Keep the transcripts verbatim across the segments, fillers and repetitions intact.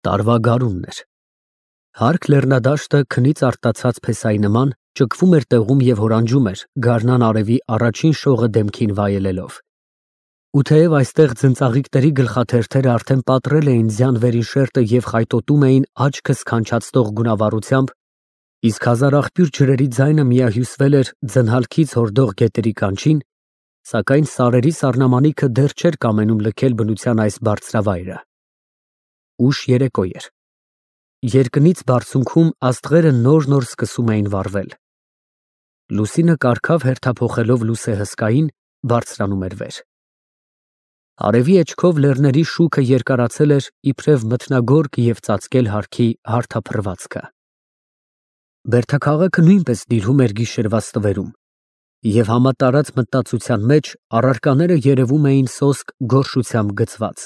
Տարվա գարունն էր։ Հարկ լեռնադաշտը քնից արտացած փեսայի նման ճկվում էր տեղում և հորանջում էր գարնան արևի առաջին շողը դեմքին վայելելով։ Ու թեև այստեղ ձնծաղիկների գլխաթերթերը արդեն պատռել էին ձյան վերին շերտը և խայտոտում էին աչքը սքանչացնող գունավառությամբ, իսկ հազար աղբյուր ջրերի ձայնը միահյուսվել էր ձնհալքից հորդող գետերի կանչին, սակայն սարերի սառնամանիքը դեռ չէր կամենում լքել բնության այս բարձրավայրը։ Ուշ երեկո էր։ Երկնից բարձունքում աստղերը նոր֊նոր սկսում էին վառվել։ Լուսինը կարգավ հերթափոխելով լուսեհսկային, բարձրանում էր վեր։ Արևի էջքով լեռների շուքը երկարացել էր իբրև մթնագորգ և ծածկել հարքի հարթափռվածքը։ Բերդաքաղաքը նույնպես դիրում էր գիշերվա ստվերում, և համատարած մտածության մեջ առարկաները երևում էին սոսկ գորշությամբ գցված։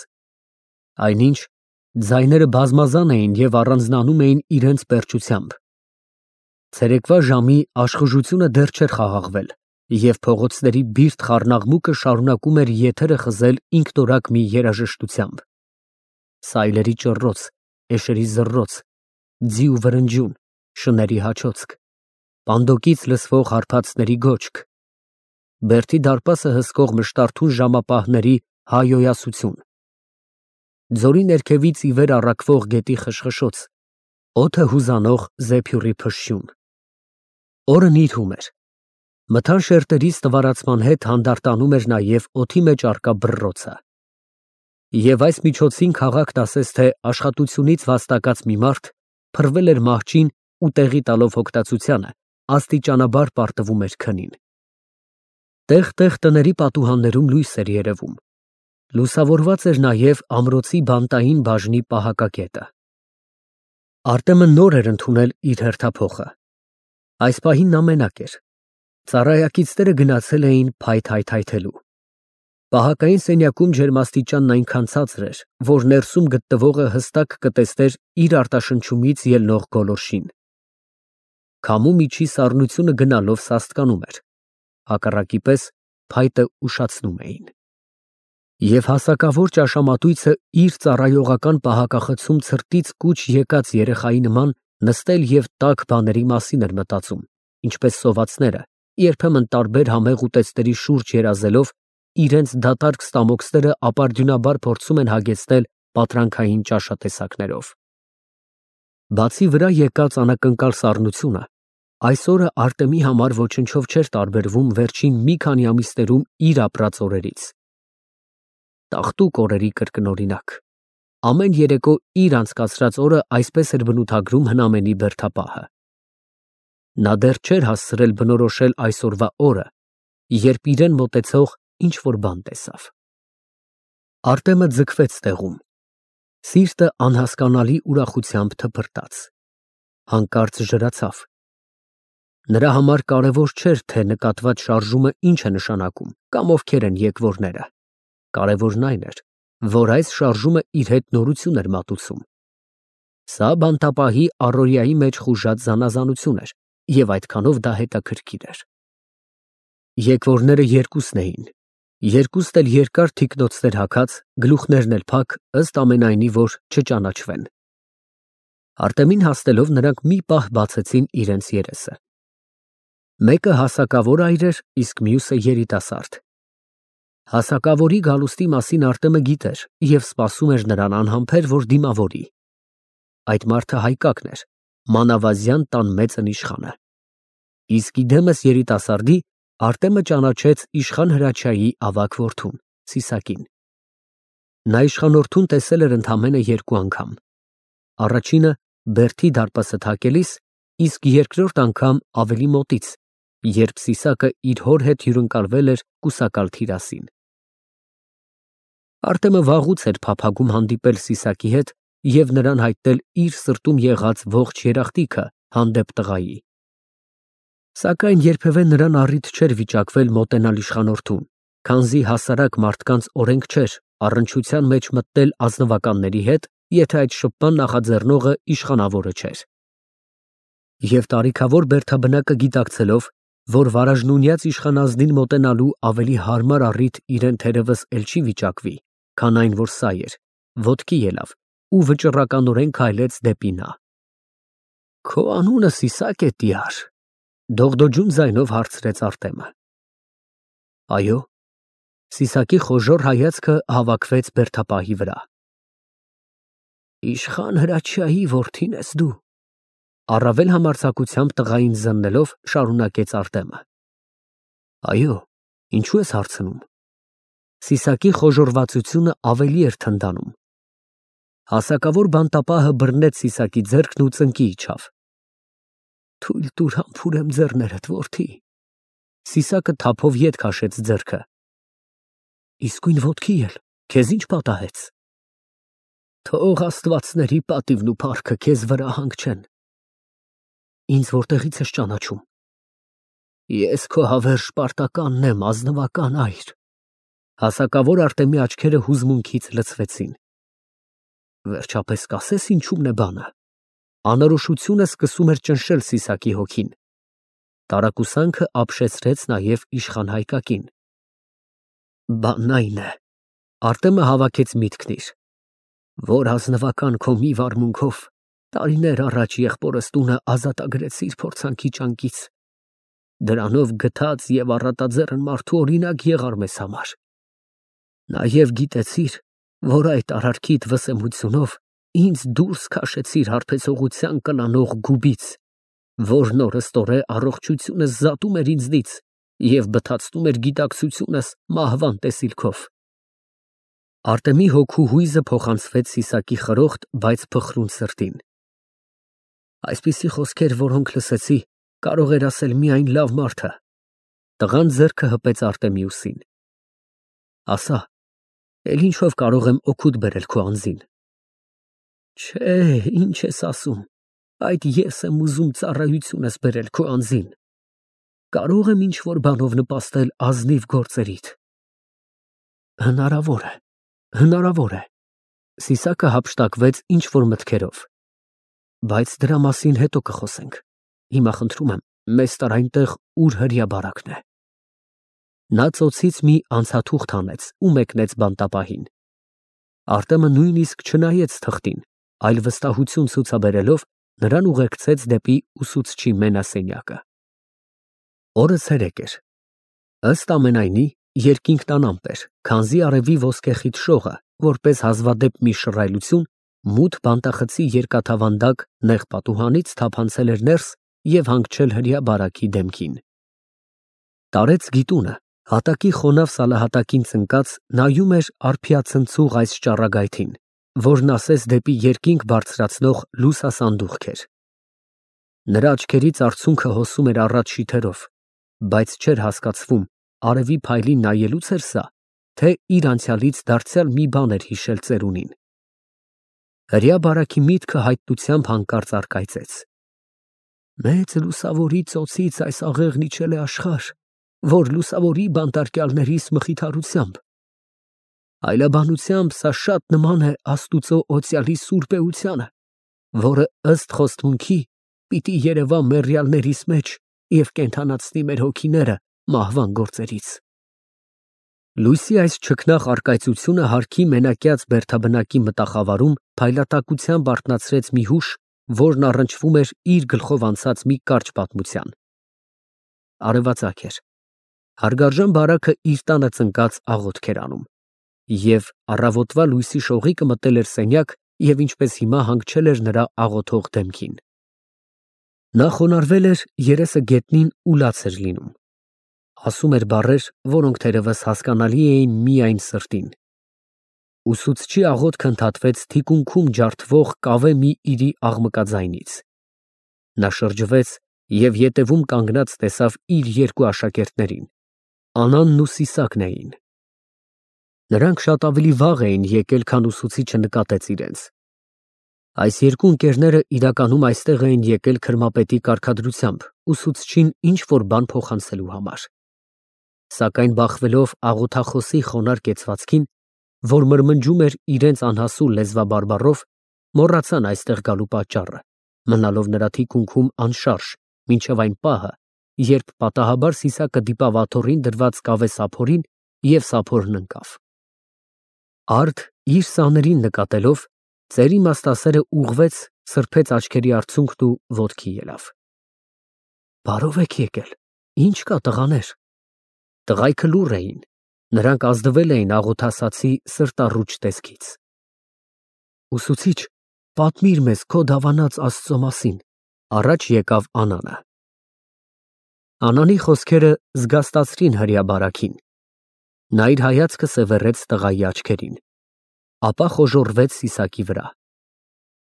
Այնինչ, ձայները բազմազան էին և առանձնանում էին իրենց պերճությամբ։ Ցերեկվա ժամի աշխուժությունը դեռ չէր խաղաղվել, և փողոցների բիրտ խառնաղմուկը շարունակում էր եթերը խզել ինքնորակ մի երաժշտությամբ. սայլերի ճռռոց, էշերի զռռոց, ձի ու վրնջյուն, շների հաչոցք, պանդոկից լսվող հարբածների գոչք, Բերդի դարպասը հսկող մշտարթուն ժամապահների հայհոյասություն, ձորի ներքևից ի վեր առաքվող գետի խշխշոց, օդը հուզանող զեփյուռի փշշյուն։ Օրն իր հում էր։ Մթան շերտերի ստվարացման հետ հանդարտանում էր նաև օդի մեջ առկա բռռոցը։ Եվ այս միջոցին քաղաքն ասես թե աշխատությունից վաստակած մի մարդ փռվել էր մահճին ու տեղի տալով հոգտացությանը, աստիճանաբար պարտվում էր քնին։ Տեղ֊տեղ տների պատուհաններում լույս էր երևում։ Լուսավորված էր նաև ամրոցի բանտային բաժնի պահակակետը։ Արտեմը նոր էր ընդունել իր հերթափոխը։ Այս պահին նա մենակ էր։ Ծառայակիցները գնացել էին փայտ հայթայթելու։ Պահակային սենյակում ջերմաստիճանն այնքան ցածր էր, որ ներսում գտնվողը հստակ կտեսներ իր արտաշնչումից ելնող գոլորշին։ Քամու միջի սառնությունը գնալով սաստկանում էր, հակառակի պես փայտը ուշացնում էին։ Եվ հասակավոր ճաշամատույցը իր ծառայողական պահակախցում ցրտից կուչ եկած երեխայի նման նստել և տաք բաների մասին էր մտածում, ինչպես սովածները, երբեմն տարբեր համեղ ուտեստների շուրջ երազելով, իրենց դատարկ ստամոքսները ապարդյունաբար փորձում են հագեցնել պատրանքային ճաշատեսակներով։ Բացի վրա եկած անակնկալ սառնությունը, այսօրը Արտեմի համար ոչնչով չէր տարբերվում վերջին մի քանի ամիսներում իր ապրած օրերից։ Տաղտուկ օրերի կրկնօրինակ։ Ամեն երեկո իր անցկացրած օրը այսպես էր բնութագրում հնամենի բերդապահը։ Նա դեռ չէր հասցրել բնորոշել այսօրվա օրը, երբ իրեն մոտեցող ինչ֊որ բան տեսավ։ Արտեմը ձգվեց տեղում։ Սիրտը անհասկանալի ուրախությամբ թփրտաց։ Հանկարծ ժրացավ։ Նրա համար կարևոր չէր, թե նկատված շարժումը ինչ է նշանակում կամ ովքեր են եկվորները։ Կարևորն այն էր, որ այս շարժումը իր հետ նորություն էր մատուցում։ Սա բանտապահի առօրյայի մեջ խուժած զանազանություն էր, և այդքանով դա հետաքրքիր էր։ Եկվորները երկուսն էին, երկուստ էլ երկար թիկնոցներ հագած, գլուխներն էլ փակ, ըստ ամենայնի, որ չճանաչվեն։ Արտեմին հասնելով նրանք մի պահ բացեցին իրենց երեսը։ Մեկը հասակավոր այր էր, իսկ մյուսը երիտասարդ։ Հասակավորի գալուստի մասին Արտեմը գիտեր և սպասում էր նրան անհամբեր, որ դիմավորի։ Այդ մարդը հայկակն էր, մանավազյան տան մեծն իշխանը։ Իսկ իդեմս երիտասարդի Արտեմը ճանաչեց իշխան Հրաչյայի ավագ որդուն՝ Սիսակին։ Նա իշխանորդուն տեսել էր ընդամենը երկու անգամ։ Առաջինը Բերդի դարպասը թակելիս, իսկ երկրորդ անգամ ավելի մոտից, երբ Սիսակը իր հոր հետ հյուրընկալվել էր կուսակալ թիրասին։ Արտեմը վաղուց էր փափագում հանդիպել Սիսակի հետ և նրան հայտնել իր սրտում եղած ողջ երախտիկը հանդեպ տղայի։ Սակայն երբևէ նրան առիթ չէր վիճակվել մոտենալ իշխանորդուն, քանզի հասարակ մարդկանց օրենք չէր առնչության մեջ մտնել ազնվականների հետ, եթե այդ շփման նախաձեռնողը իշխանավորը չէր։ Եվ տարիքավոր բերդաբնակը գիտակցելով, որ վարաժնունյաց իշխանազնին մոտենալու ավելի հարմար առիթ իրեն թերևս էլ չի վիճակվի, քան այն, որ սա էր, ոտքի ելավ ու վճռականորեն քայլեց դեպի նա։ Քո անունը Սիսակ է, տյար, դողդոջուն ձայնով հարցրեց Արտեմը։ Այո։ Սիսակի խոժոռ հայացքը հավաքվեց բերդապահի վրա։ Իշխան Հրաչյայի որդին ես դու, առավել համարձակությամբ տղային զննելով շարունակեց Արտեմը։ Այո, ինչու ես հարցնում։ Սիսակի խոժոռվածությունը ավելի էր թնդանում։ Հասակավոր բանտապահը բռնեց Սիսակի ձեռքն ու ծնկի իջավ։ Թույլ տուր համբուրեմ ձեռներդ, որդի։ Սիսակը թափով ետ քաշեց ձեռքը։ Իսկույն ոտքի էլ, քեզ ինչ պատահեց։ Թող աստվածների պատիվն ու փառքը քեզ վրա հանգչեն։ Ինձ որտեղից ես ճանաչում։ Ես քո հավերժ պարտականն եմ, ազնվական այր։ Հասակավոր Արտեմի աչքերը հուզմունքից լցվեցին։ Վերջապես կասես ինչումն է բանը։ Անորոշությունը սկսում էր ճնշել Սիսակի հոգին։ Տարակուսանքը ապշեցրեց նաև իշխան Հայկակին։ Բանն այն է, Արտեմը հավաքեց միտքն իր, որ ազնվական քո մի վարմունքով տարիներ առաջ եղբորս տունը ազատագրեցիր փորձանքի ճանկից։ Դրանով գթած և առատաձեռն մարդու օրինակ եղար մեզ համար։ Նաև գիտեցիր, որ այդ արարքիդ վսեմությունով ինձ դուրս քաշեցիր հարբեցողության կլանող գուբից, որն օրըստօրե առողջությունս զատում էր ինձնից և բթացնում էր գիտակցությունս մահվան տեսիլքով։ Արտեմի հոգու հույզը փոխանցվեց Սիսակի խրոխտ, բայց փխրուն սրտին։ Այսպիսի խոսքեր, որոնք լսեցի, կարող էր ասել միայն լավ մարդը։ Տղան ձեռքը հպեց Արտեմի ուսին։ Ասա, էլ ինչով կարող եմ օգուտ բերել քո անձին։ Չէ, ինչ ես ասում, այդ ես եմ ուզում ծառայությունս բերել քո անձին։ Կարող եմ ինչ-որ բանով նպաստել ազնիվ գործերիդ։ Հնարավոր է, հնարավոր է։ Սիսակը հափշտակվեց ինչ-որ մտքերով։ Բայց դրա մասին հետո կխոսենք։ Հիմա խնդրում եմ, մեզ տար այնտեղ, ուր հրեաբարակն է։ Նա ծոցից մի անցաթուղթ հանեց ու մեկնեց բանտապահին։ Արտեմը նույնիսկ չնայեց թղթին, այլ վստահություն ցուցաբերելով նրան ուղեկցեց դեպի ուսուցչի մենասենյակը։ Օրը ցերեկ էր։ Ըստ ամենայնի, երկինքն անամպ էր, քանզի արևի ոսկեխիտ շողը, որպես հազվադեպ մի շռայլություն, մութ բանտախցի երկաթավանդակ նեղ պատուհանից թափանցել էր ներս և հանգչել հրեաբարակի դեմքին։ Տարեց գիտունը, հատակի խոնավ սալահատակին ծնկած, նայում էր արփիացնցուղ այս ճառագայթին, որն ասես դեպի երկինք բարձրացնող լուսասանդուղք էր։ Նրա աչքերից արցունքը հոսում էր առաջ շիթերով, բայց չէր հասկացվում, արևի փայլին նայելուց էր սա, թե իր անցյալից դարձյալ մի բան էր հիշել ծերունին։ Հրեաբարակի միտքը հայտնությամբ հանկարծ առկայծեց։ Մեծ լուսավորի ծոցից այս աղեղն իջել է աշխարհ, որ լուսավորի բանտարկյալներիս մխիթարությամբ։ Այլաբանությամբ սա շատ նման է Աստուծո օծյալի սուրբ էությանը, որը ըստ խոստմունքի պիտի երևա մեռյալներիս մեջ և կենդանացնի մեր հոգիները մահվան գործերից։ Լույսի այս չքնաղ առկայծությունը հարկի մենակյաց բերդաբնակի մտախավարում փայլատակությամբ արթնացրեց մի հուշ, որն առնչվում էր իր գլխով անցած մի կարճ պատմության։ Արևածագ էր։ Հարգարժան բարակը իր տանը ծնկած աղոթք էր անում, և առավոտվա լույսի շողիկը մտել էր սենյակ և ինչպես հիմա հանգչել էր նրա աղոթող դեմքին։ Նա խոնարհվել էր, երեսը գետնին ու լաց էր լինում։ Ասում էր բառեր, որոնք թերևս հասկանալի էին միայն սրտին։ Ուսուցչի աղոթքը ընդհատվեց թիկունքում ջարդվող կավե մի իրի աղմկաձայնից։ Նա շրջվեց և ետևում կանգնած տեսավ իր երկու աշակերտներին, Անանն ու Սիսակն էին։ Նրանք շատ ավելի վաղ էին եկել, քան ուսուցիչը նկատեց իրենց։ Այս երկու ընկերները իրականում այստեղ էին եկել քրմապետի կարգադրությամբ ուսուցչին ինչ-որ բան փոխանցելու համար։ Սակայն բախվելով աղոթախոսի խոնարհ կեցվածքին, որ մրմնջում էր իրենց անհասու լեզվաբարբառով, մոռացան այստեղ գալու պատճառը, մնալով նրա թիկունքում անշարժ, մինչև այն պահը, երբ պատահաբար Սիսակը դիպավ աթոռին դրված կավե սափորին և սափորն ընկավ։ Արդ իր սաներին նկատելով, Ծերի մաստասերը ուղղվեց, սրբեց աչքերի արցունքն ու ոտքի ելավ։ Բարով եք եկել, ինչ կա տղաներ։ Տղայքը լուռ էին, նրանք ազդվել էին աղոթասացի սրտառուչ տեսքից։ Ուսուցիչ, պատմիր մեզ քո դավանած Աստծո մասին, առաջ եկավ Անանը։ Անանի խոսքերը զգաստացրին հրեաբարակին։ Նա իր հայացքը սևեռեց տղայի աչքերին, ապա խոժոռվեց Սիսակի վրա։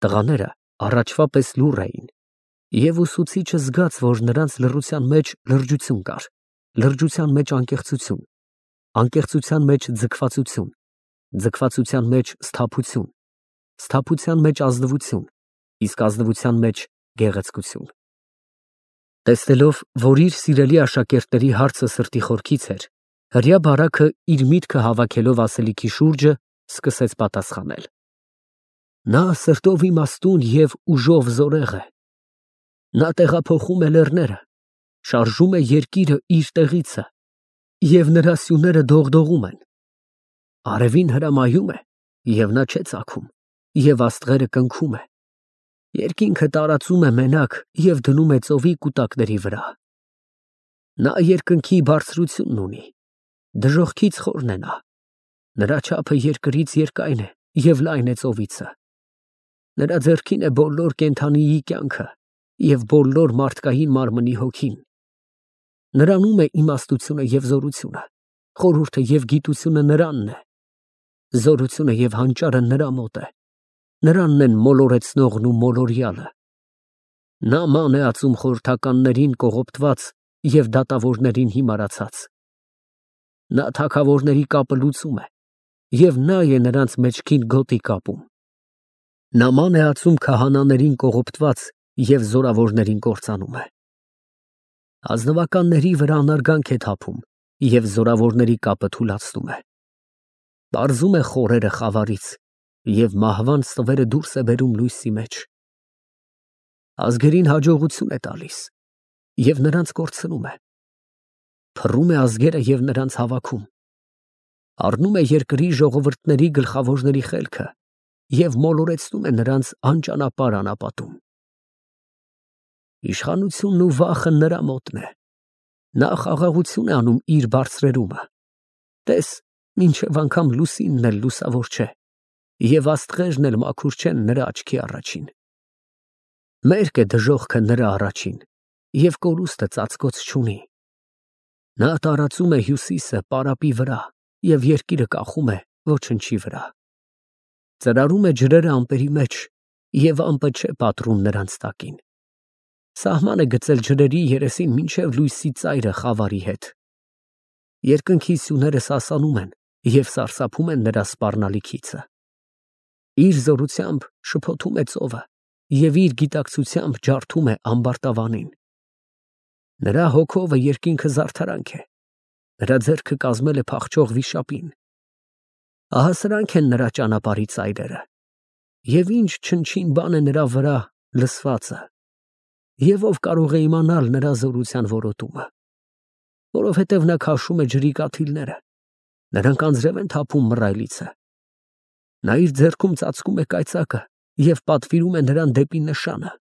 Տղաները առաջվա պես լուռ էին, և ուսուցիչը զգաց, որ նրանց լռության մեջ լրջություն կար, լրջության մեջ անկեղծություն, անկեղծության մեջ ձգվածություն, ձգվածության մեջ սթափություն, սթափության մեջ ազնվություն, իսկ ազնվության մեջ գեղեցկություն։ Տեսնելով, որ իր սիրելի աշակերտների հարցը սրտի խորքից էր, հրեաբարակը իր միտքը հավաքելով ասելիքի շուրջը, սկսեց պատասխանել. Նա սրտով իմաստուն և ուժով զորեղ է։ Նա տեղափոխում է լեռները, շարժում է երկիրը իր տեղիցը, և նրա սյուները դողդողում են։ Արևին հրամայում է, և նա չէ ծագում, և աստղերը կնքում է։ Երկինքը տարածում է մենակ և դնում է ծովի կուտակների վրա։ Նա երկնքի բարձրությունն ունի, դժոխքից խորն է նա։ Նրա չափը երկրից երկայն է և լայն է ծովիցը։ Նրա ձեռքին է բոլոր կենդանիի կյանքը և բոլոր մարդկային մարմնի հոգին։ Նրանում է իմաստությունը և զորությունը, խորհուրդը և գիտությունը նրանն է։ Զորությունը և հանճարը նրա մոտ է, նրանն են մոլորեցնողն ու մոլորյալը։ Նա ման է ածում խորհրդականներին կողոպտված և դատավորներին հիմարացած։ Նա թագավորների կապը լուծում է, և նա է նրանց մեջքին գոտի կապում։ Նա ման է ածում քահանաներին կողոպտված և զորավորներին կործանում է։ Ազնվականների վրա անարգանք է թափում և զորավորների կապը թուլացնում է։ Պարզում է խորերը խավարից և մահվան ստվերը դուրս է բերում լույսի մեջ։ Ազգերին հաջողություն է տալիս և նրանց կորցնում է։ Փռում է ազգերը և նրանց հավաքում։ Առնում է երկրի ժողովուրդների գլխավորների խելքը և մոլորեցնում է նրանց անճանապարհ անապատում։ Իշխանությունն ու վախը նրա մոտն է։ Նա խաղաղություն է անում իր բարձրերումը։ Տես, մինչև անգամ լուսինն էլ լուսավոր չէ, և աստղերն էլ մաքուր չեն նրա աչքի առաջին։ Մերկ է դժոխքը նրա առաջին, և կորուստը ծածկոց չունի։ Նա տարածում է հյուսիսը պարապի վրա և երկիրը կախում է ոչնչի վրա։ Ծրարում է ջրերը ամպերի մեջ, և ամպը չէ պատռում նրանց տակին։ Սահման է գծել ջրերի երեսին մինչև լույսի ծայրը խավարի հետ։ Երկնքի սյուները սասանում են և սարսափում են նրա սպառնալիքիցը։ Իր զորությամբ շփոթում է ծովը և իր գիտակցությամբ ջարդում է ամբարտավանին։ Նրա հոգովը երկինքը զարդարանք է, նրա ձեռքը կազմել է փախչող վիշապին։ Ահա սրանք են նրա ճանապարհի ծայրերը, և ինչ չնչին բան է նրա վրա լսվածը, և ով կարող է իմանալ նրա զորության որոտումը։ Որովհետև նա քաշում է ջրի կաթիլները, նրանք անձրև են թափում մռայլիցը։ Նա իր ձեռքում ծածկում է կայծակը և պատվիրում է նրան դեպի նշանը։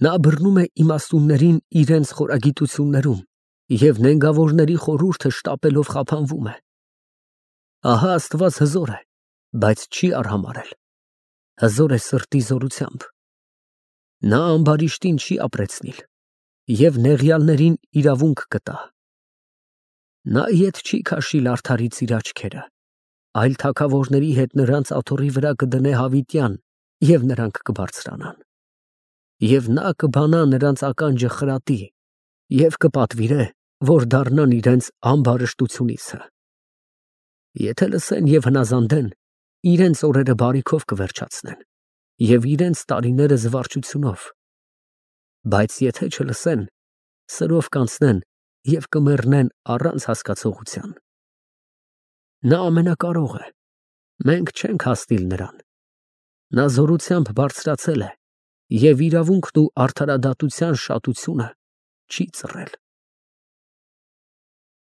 Նա բռնում է իմաստուններին իրենց խորագիտություններում և նենգավորների խորհուրդը շտապելով խափանվում է։ Ահա Աստված հզոր է, բայց չի արհամարհել, հզոր է սրտի զորությամբ։ Նա ամբարիշտին չի ապրեցնիլ և նեղյալներին իրավունք կտա։ Նա ետ չի քաշիլ արդարից իր աչքերը, այլ թագավորների հետ նրանց աթոռի վրա կդնե հավիտյան, և նրանք կբարձրանան։ Եվ նա կբանա նրանց ականջը խրատի և կպատվիրե, որ դառնան իրենց ամբարշտությունիցը։ Եթե լսեն և հնազանդեն, իրենց օրերը բարիքով կվերջացնեն և իրենց տարիները զվարճությունով։ Բայց եթե չլսեն, սրով կանցնեն և կմեռնեն առանց հասկացողության։ Նա ամենակարող է, մենք չենք հասնիլ նրան։ Նա զորությամբ բարձրացել է և իրավունքն ու արդարադատության շատությունը չի ծռել։